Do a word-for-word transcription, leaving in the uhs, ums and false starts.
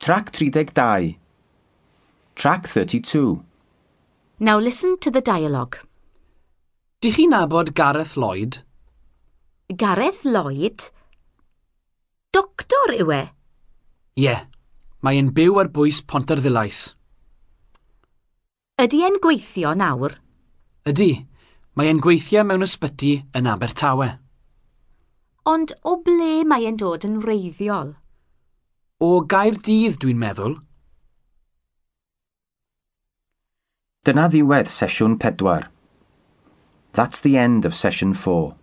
Trac tri deg dau. Track thirty-two. Now listen to the dialogue. Dych chi'n nabod Gareth Lloyd? Gareth Lloyd? Doctor yw e? Ie, yeah, mae e'n byw ar bwys Pontarddulais. Ydy e'n gweithio nawr? Ydy, mae e'n gweithio mewn ysbyty yn Abertawe. Ond o ble mae e'n dod yn wreiddiol? O Gaerdydd, dwi'n meddwl. Dyna ddiwedd sesiwn pedwar. That's the end of session four.